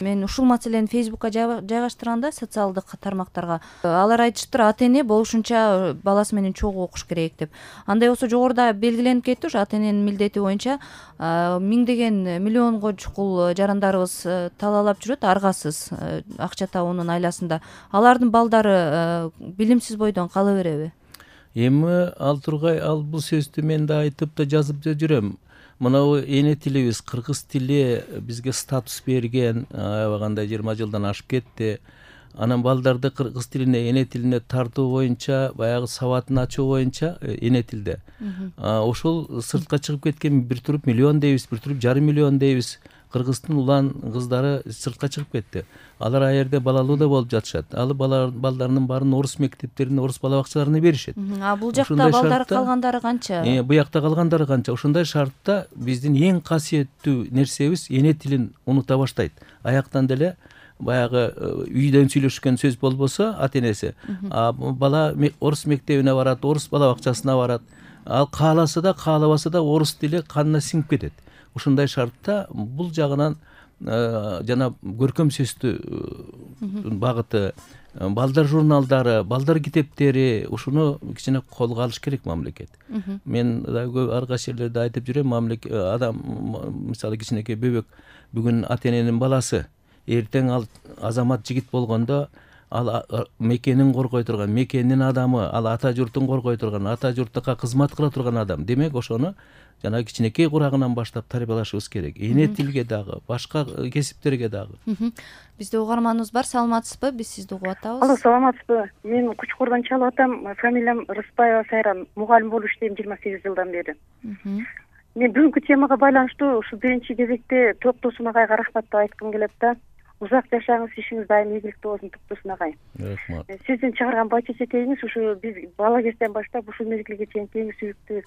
Мен ушул маселени Facebookка жайгаштырганда социалдык тармактарга алар айтыштыр, ата эне болушунча баласы менен чогуу окуш керек деп. Андай болсо жогоруда белгиленип кетти ушу ата эненин милдети боюнча миңдеген миллионго чукул жарандарыбыз талаалап жүрөт аргасыз акча табуунун айласында. Алардын балдары билимсиз бойдон кала береби? Эми ал тургай бул сөздү мен да айтып да жазып да жүрөм. Мынау эне тилибиз кыргыз тили бизге статус берген, аябагандай 20 жылдан ашып кетти. Анан балдарды кыргыз тилине, эне тилине тартуу боюнча, баягы сабатын ачуу боюнча эне тилде. Ошол сыртка чыгып кеткен бир туруп миллион дейбиз, бир туруп жарым миллион дейбиз. Кыргыздын улан кыздары сыртка чыгып кетти. Алар а жерде балалуу да болуп жатышат. Ал балдарынын баарын орус мектептерине, орус бала бакчаларына беришет. Бул жакта балдары калгандары канча? Буякта калгандары канча? Ошондой шартта биздин эң касиеттүү нерсебиз эне тилин унута баштайт. Аяктан деле баягы үйдөн сүйлөшкөн сөз болбосо ата энеси, бала орус мектебине барат, орус бала бакчасына барат. Ал кааласа да, каалабаса да орус тили канына сиңип кетет. Ушундай шартта бул жагынан жана көркөм сөздү багыты, балдар журналдары, балдар китептери ушуну кичине колго алыш керек мамлекет. Мен да көп ар кайсы жерлерде айтып жүрөм, адам мисалы кичинекей бөбөк бүгүн ата эненин баласы, эртең ал азамат жигит болгондо ал мекенин коргой турган, мекенин адамы, ал ата журтун коргой турган, ата журтка кызмат кыла турган адам. Демек ошону жана кичинекей курагынан баштап тарбиялашыбыз керек. Эне тилге дагы, башка кесиптерге дагы. Бизде угарманыбыз бар, саламатсызбы? Биз сизди угуп атабыз. Алло, саламатсызбы? Мен Кучкурдан чалып атам. Фамилиям Рыспаева Сайран. Мугалим болуп иштейм 28 жылдан бери. Мен бүгүнкү темага байланыштуу ушу биринчи кезекте Токтосун агайга рахмат деп айткым келет да. Узак жашаңыз, ишиңиз дайым ийгиликтүү болсун Токтосун агай. Рахмат. Сиздин чыгарган бача четегиңиз ушу биз бала кезден баштап ушул мезгилге чейин эң сүйүктүү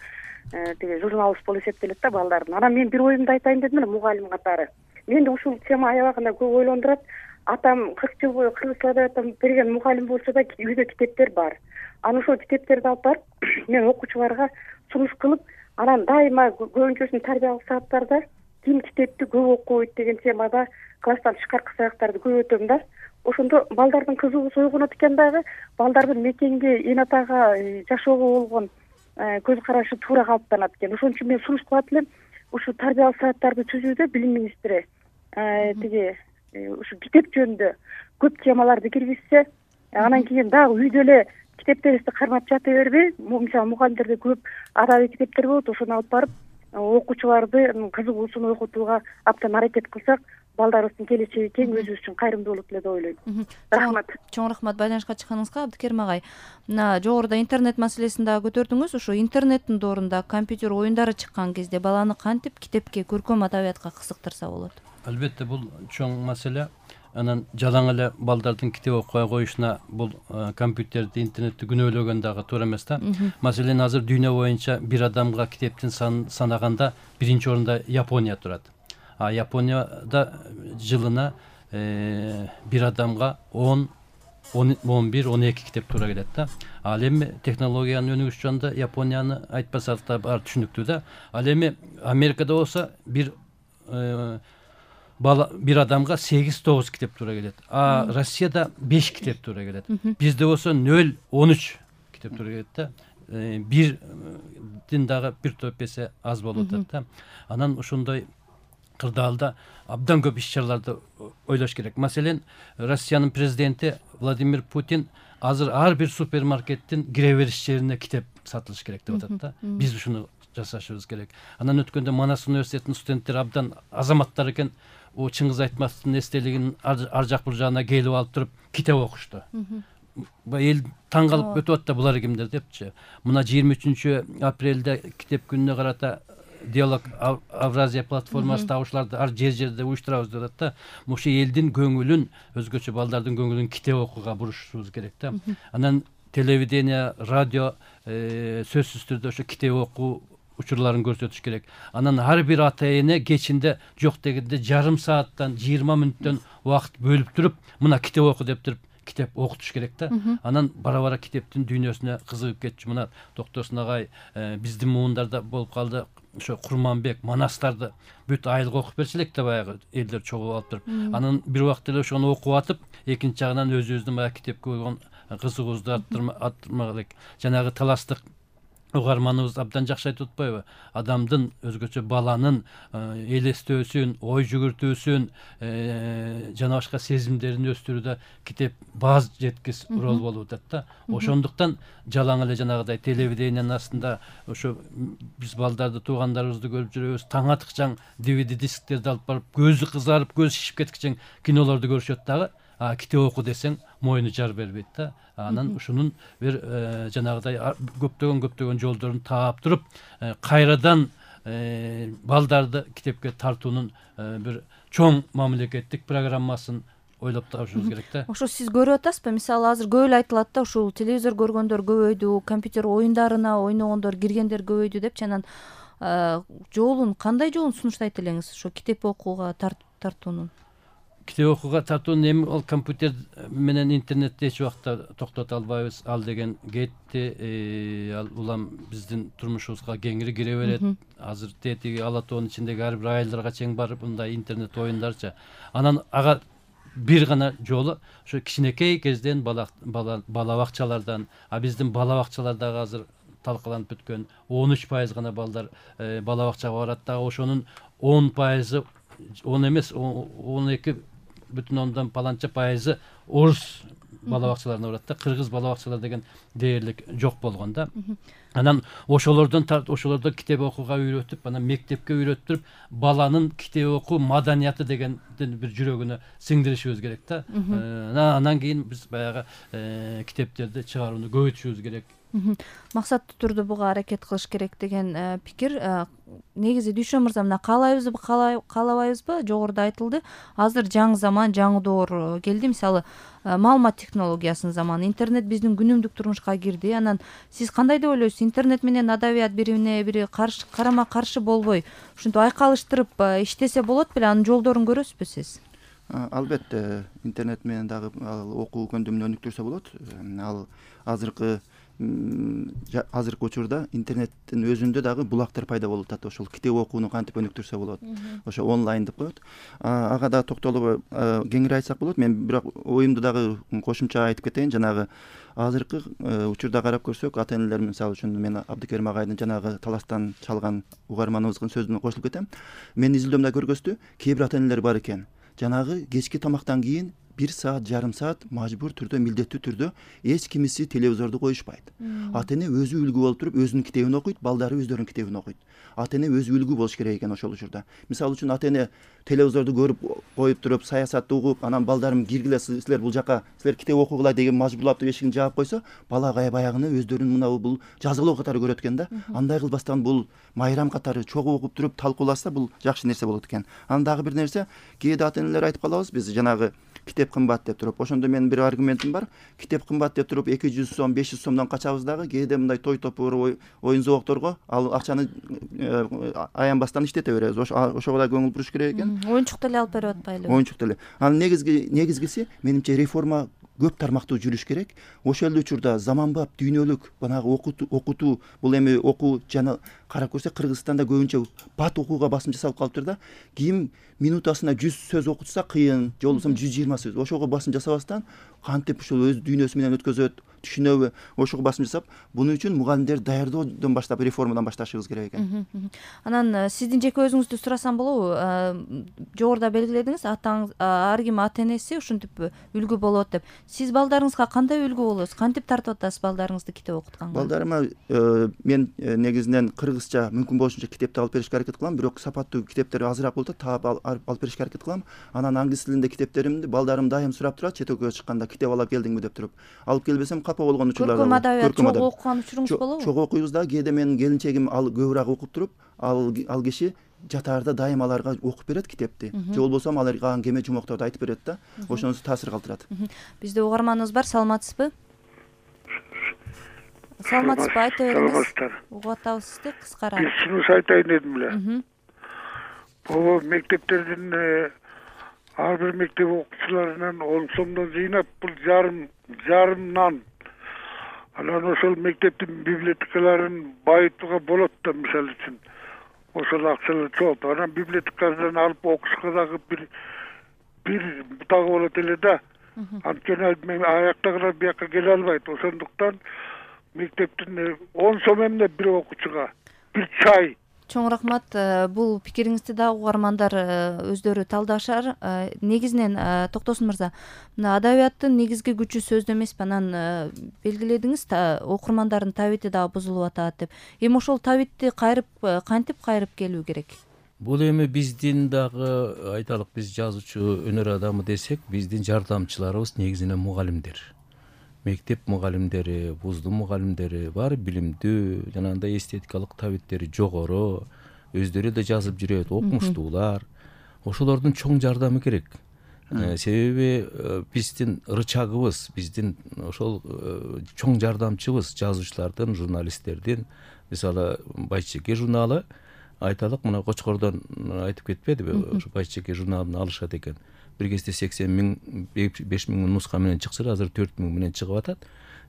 тиги журналыбыз болуп эсептелет да балдардын. Анан мен бир оюмду айтайын дедим эле мугалим катары. Менде ушул тема аябагында көп ойлондурат. Атам 40 жыл бою Кыргызстанда берген мугалим болсо да үйдө китептер бар. Анан ошол китептерди алып барып мен окуучуларга сунуш кылып, анан дайыма көбүнчөсүн тарбиялык сааттарда ким китепти көп окуйт деген темада класстан тышкаркы сабактарды көп өтөм да. Ошондо балдардын кызыгуусу ойгонот экен дагы, балдардын мекенге, эн атага жашоого болгон көз карашы туура калыптанат экен. Ошон үчүн мен сунуш кылат элем, ушу тарбиялык сааттарды түзүүдө билим министри тиги ушу китеп жөнүндө көп темаларды киргизсе, анан кийин дагы үйдө эле китептерибизди кармап жата бербей, мисалы мугалимдерде көп адабий китептер болот, ошону алып барып окуучуларды кызыгуусун ойготууга абдан аракет кылсак, балдарыбыздын келечеги кең, өзүбүз үчүн кайрымдуу болот эле деп ойлойм. Рахмат. Чоң рахмат байланышка чыкканыңызга. Абдыкерим агай, мына жогоруда интернет маселесин дагы көтөрдүңүз. Ушу интернеттин доорунда компьютер оюндары чыккан кезде баланы кантип китепке, көркөм адабиятка кызыктырса болот? Албетте бул чоң маселе. Анан жалаң эле балдардын китеп окуй коюшуна бул компьютерди, интернетти күнөөлөгөн дагы туура эмес да. Маселен азыр дүйнө боюнча бир адамга китептин санаганда биринчи орунда Япония турат. Японияда жылына бир адамга 10, 11, 12 китеп туура келет да. Ал эми технологиянын өнүгүшү жөнүндө Японияны айтпасак да бар түшүнүктүү да. Ал эми Америкада болсо бир адамга 8-9 китеп туура келет. Россияда 5 китеп туура келет. Бизде болсо 0-13 китеп туура келет да. Бирдин дагы бир топ эсе аз болуп атат да. Анан ошондой кырдаалда абдан көп иш-чараларды ойлош керек. Маселен, Россиянын президенти Владимир Путин азыр ар бир супермаркеттин кире бериш жерине китеп сатылыш керек деп атат да. Биз ушуну жасашыбыз керек. Анан өткөндө Манас университетинин студенттери абдан азаматтар экен. Чыңгыз Айтматовдун эстелигин ар жак бул жагына келип алып туруп китеп окушту. Эл таң калып өтүп атты булар кимдер депчи. Мына 23 апрелде китеп күнүнө карата Диалог Авразия платформасы табышууларды ар жерде уюштурабыз деп атат да. Ошо элдин көңүлүн, өзгөчө балдардын көңүлүн китеп окууга бурушубуз керек да. Анан телевидение, радио сөзсүз түрдө ошо китеп окуу учурларын көрсөтүш керек. Анан ар бир ата эне кечинде жок дегенде жарым сааттан 20 мүнөттөн убакыт бөлүп туруп, мына китеп оку деп туруп китеп окутуш керек да. Анан бара-бара китептин дүйнөсүнө кызыгып кетчү. Мына Токтосун агай биздин муундарда болуп калды. ошо Курманбек, Манастарды бүт айылга окуп берчү элек да баягы элдер чогулуп алып туруп. Анан бир убакта эле ошону окуп атып, экинчи жагынан өзүбүздүн баягы китепке болгон кызыгуубузду арттырмак элек. Жанагы таластык угарманыбыз абдан жакшы айтып атпайбы? Адамдын, өзгөчө баланын элестөөсүн, ой жүгүртүүсүн, жана башка сезимдерин өстүрүүдө китеп бааз жеткис рол болуп атат да. Ошондуктан жалаң эле жанагыдай телевидениянын астында ошо биз балдарды, туугандарыбызды көрүп жүрөбүз. Таң атыкчаң DVD дисктерди алып барып, көзү кызарып, көз шишип кеткичең кинолорду көрүшөт дагы. Китеп оку десең мойну жар бербейт да. Анан ушунун бир жанагыдай көптөгөн жолдорун таап туруп, кайрадан балдарды китепке тартуунун бир чоң мамлекеттик программасын ойлоп табышыбыз керек да. Ошо сиз көрүп атасызбы? Мисалы азыр көп эле айтылат да, ушул телевизор көргөндөр көбөйдү, компьютер оюндарына ойногондор, киргендер көбөйдү депчи. Анан кандай жолун сунуштайт элеңиз ошо китеп окууга тартуунун? Китеп окууга тартуунун эми ол компьютер менен интернетти эч убакта токтото албайбыз. Ал деген кетти, ал улам биздин турмушубузга кеңири кире берет. Азыр тетиги Ала тоонун ичиндеги ар бир айылдарга чейин барып мындай интернет оюндарчы. Анан ага бир гана жолу ошо кичинекей кезден бала бакчалардан, биздин бала бакчалардагы азыр талкаланып бүткөн 13% гана балдар бала бакчага барат да, ошонун 10%, 10 эмес 12,1 паланча пайызы орус бала бакчаларына барат да. Кыргыз бала бакчалар деген дээрлик жок болгон да. Анан ошолордон китеп окууга үйрөтүп, анан мектепке үйрөтүп, баланын китеп окуу маданияты дегендин бир жүрөгүнө сиңдиришибиз керек да. Анан кийин биз баягы китептерди чыгарууну көбөйтүшүбүз керек. Максаттуу түрдө буга аракет кылыш керек деген пикир. Негизи Дүйшөн мырза, мына каалайбызбы, каалабайбызбы? Жогоруда айтылды. Азыр жаңы заман, жаңы доор келди. Мисалы, маалымат технологиясынын заманы, интернет биздин күнүмдүк турмушка кирди. Анан сиз кандай деп ойлойсуз? Интернет менен адабият бири бири карама каршы болбой, ушинтип айкалыштырып иштесе болот беле? Анын жолдорун көрөсүзбү сиз? Албетте, интернет менен дагы окуу көндүмүн өнүктүрсө болот. Ал азыркы учурда интернеттин өзүндө дагы булактар пайда болуп атат. Ошол китеп окууну кантип өнүктүрсө болот. Ошо онлайн деп коет. Ага да токтолуп кеңири айтсак болот. Мен бирок оюмду дагы кошумча айтып кетейин. Жанагы азыркы учурда карап көрсөк, ата энелер, мисалы үчүн мен Абдыкерим агайдын жанагы таластан чалган угарманыбыздын сөзүнө кошулуп кетем. Мен изилдөөмдө көргөзтү, кээ бир ата энелер бар экен. Жанагы кечки тамактан кийин 1 саат, жарым саат мажбур түрдө, милдеттүү түрдө эч кимиси телевизорду коюшпайт. Ата эне өзү үлгү болуп туруп, өзүнүн китебин окуйт, балдары өздөрүнүн китебин окуйт. Ата эне өзү үлгү болуш керек экен ошол учурда. Мисалы үчүн ата эне телевизорду көрүп коюп туруп, саясатты угуп, анан балдарым киргиле, силер бул жака, силер китеп окугула деген мажбурлап туруп эшигин жаап койсо, бала баягыны өздөрүнүн мына бул жазгылоо катары көрөт экен да. Андай кылбастан бул майрам катары чогуу окуп туруп талкууласа, бул жакшы нерсе болот экен. Анан дагы бир нерсе, кээде ата энелер айтып калабыз, биз жанагы китеп кымбат деп туруп. Ошондо менин бир аргументим бар. Китеп кымбат деп туруп 200 сом, 500 сомдон качабыз дагы, кээде мындай той топур, оюн зоокторго ал акчаны аянбастан иштете беребиз. Ошого да көңүл буруш керек экен. Оюнчук деле алып берип атпайлыбы? Оюнчук деле. Анын негизгиси менимче реформа көп тармактуу жүрүш керек. Ошол эле учурда заманбап дүйнөлүк банагы окутуу, бул эми окуу жана карап көрсөк, Кыргызстанда көбүнчө бат окууга басым жасалып калыптыр да. Ким минутасына 100 сөз окутса кыйын, же болбосо 120 сөз. Ошого басым жасабастан кантип ушул өз дүйнөсү менен өткөзөт, түшүнөбү, ошого басым жасап, буну үчүн мугалимдер даярдоодон баштап реформадан башташыбыз керек экен. Анан сиздин жеке өзүңүздү сурасам болобу? Жогоруда белгиледиңиз, ар ким ата энеси ушинтип үлгү болот деп. Сиз балдарыңызга кандай үлгү болосуз? Кантип тартып атасыз балдарыңызды китеп окутканга? Балдарыма мен негизинен кыргызча мүмкүн болушунча китепти алып беришке аракет кылам, бирок сапаттуу китептер азыраак болуп таап алып беришке аракет кылам. Анан англис тилинде китептеримди балдарым дайым сурап турат, чет өлкөгө чыкканда китеп алып келдиңби деп туруп. Алып келбесем капа болгон учурлар бар. Көркөм адабият чогуу окуган учуруңуз болобу? Чогуу окуйбуз да, кээде менин келинчегим ал көбүрөөк окуп туруп, ал киши жатаарда дайым аларга окуп берет китепти. Же болбосо аларга кеме жумокторду айтып берет да. Ошонусу таасир калтырат. Бизде угарманыбыз бар, саламатсызбы? Саламатсызбы, айта бериңиз. Угуп атабыз сизди, кыскара. Бир сунуш айтайын дедим эле. Бул мектептердин ар бир мектеп окуучуларынан 10 сомдон жыйнап, бул жарым нан. Анан ошол мектептин библиотекаларын байытууга болот да, мисалы үчүн. Ошол менен бирге 10 сомдон жыйнап, ошол библиотекаларды кайра куруу, ошол библиотекаларды кайра жандандыруу, ошол библиотекаларды кайра жаңыртуу, ошол библиотекаларды кайра ошол акчалар чогултуп анан библиотекадан алып окушка дагы бир дагы болот эле да. Анткени мен аяктагылар бияка келе албайт. Ошондуктан мектептин 10 сом эмне бир окуучуга бир чай. Чоң рахмат. Бул пикириңизди дагы угармандар өздөрү талдашар. Негизинен Токтосун мырза, мына адабияттын негизги күчү сөздө эмеспи, анан белгиледиңиз, окурмандардын табити дагы бузулуп атат деп. Эми ошол табитти кантип кайрып келүү керек? Бул эми биздин дагы айталык, биз жазуучу өнөр адамы десек, биздин жардамчыларыбыз негизинен мугалимдер. Мектеп мугалимдери, вуздун мугалимдери баары билимдүү, жанагындай эстетикалык табиттери жогору, өздөрү да жазып жүрөт, окумуштуулар. Ошолордун чоң жардамы керек. Себеби биздин рычагыбыз, биздин ошол чоң жардамчыбыз жазуучулардын, журналисттердин, мисалы Байчеке журналы, айталык, мына Кочкордон айтып кетпедиби, ошо Байчеке журналын алышат экен. Бир кезде 80 миң, 5 миң нуска менен чыкса, азыр 4 миң менен чыгып атат.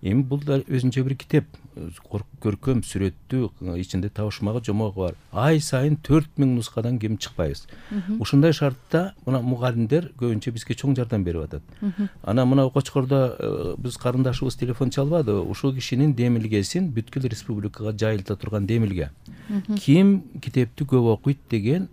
Эми бул да өзүнчө бир китеп, көркөм, сүрөттүү, ичинде табышмагы, жомогу бар. Ай сайын 4 миң нускадан кем чыкпайбыз. Ушундай шартта мына мугалимдер көбүнчө бизге чоң жардам берип атат. Анан мына Кочкордо биз карындашыбыз телефон чалбады, ушул кишинин демилгесин бүткүл республикага жайылта турган демилге. Ким китепти көп окуйт деген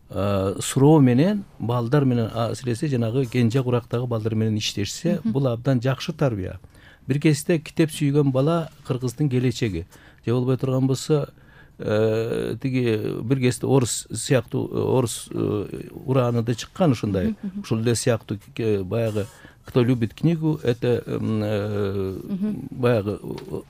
суроо менен балдар менен, асыресе жанагы кенже курактагы балдар менен иштешсе, бул абдан жакшы тарбия. Бир кезде китеп сүйгөн бала кыргыздын келечеги. Же болбой турган болсо, тиги бир кезде орус сыяктуу, орус ураанында чыккан ушундай. Ушул эле сыяктуу баягы «Кто любит книгу, это баягы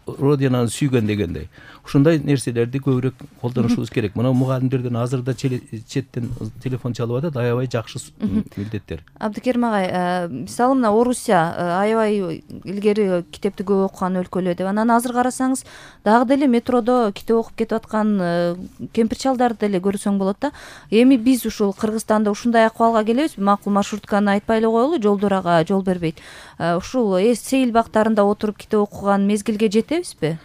родинаны сүйгөн» дегендей. Ушундай нерселерди көбүрөөк колдонушубуз керек. Мына мугалимдерден азыр да четтен телефон чалып атат, аябай жакшы милдеттер. Абдыкерим агай, мисалы мына Орусия аябай илгери китепти көп окуган өлкөлөр деп. Анан азыр карасаңыз, дагы деле метродо китеп окуп кетип аткан кемпир-чалдарды деле көрсөң болот да. Эми биз ушул Кыргызстанда ушундай акыбалга келебизби? Макул маршрутканы айтпай эле коелу, жолдор ага жол бербейт. Ушул сейил бактарында отуруп китеп окуган мезгилге жетебизби?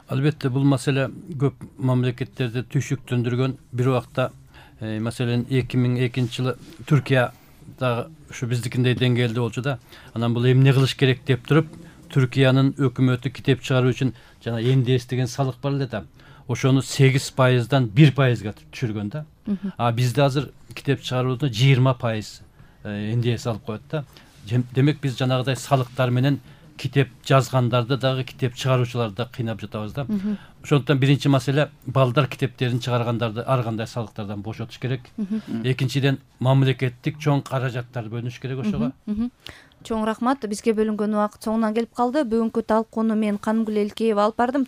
Албетте, бул маселе көп мамлекеттерди түйшүктөндүргөн. Бир убакта, маселен 2002 жылы Түркияда ушу биздикиндей деңгээлде болчу да. Анан бул эмне кылыш керек деп туруп, Түркиянын өкмөтү китеп чыгаруу үчүн жана НДС деген салык бар эле да. Ошону 8%дан 1%га түшүргөн да. Бизде азыр китеп чыгарууда 20% НДС алып коет да. Демек биз жанагыдай салыктар менен китеп жазгандарды дагы, китеп чыгаруучуларды да кыйнап жатабыз да. Ошондуктан биринчи маселе балдар китептерин чыгаргандарды ар кандай салыктардан бошотуш керек. Экинчиден, мамлекеттик чоң каражаттар бөлүнүш керек ошого. Чоң рахмат. Бизге бөлүнгөн убакыт соңуна келип калды. Бүгүнкү талкууну мен Канымгүл Элкеева алып бардым.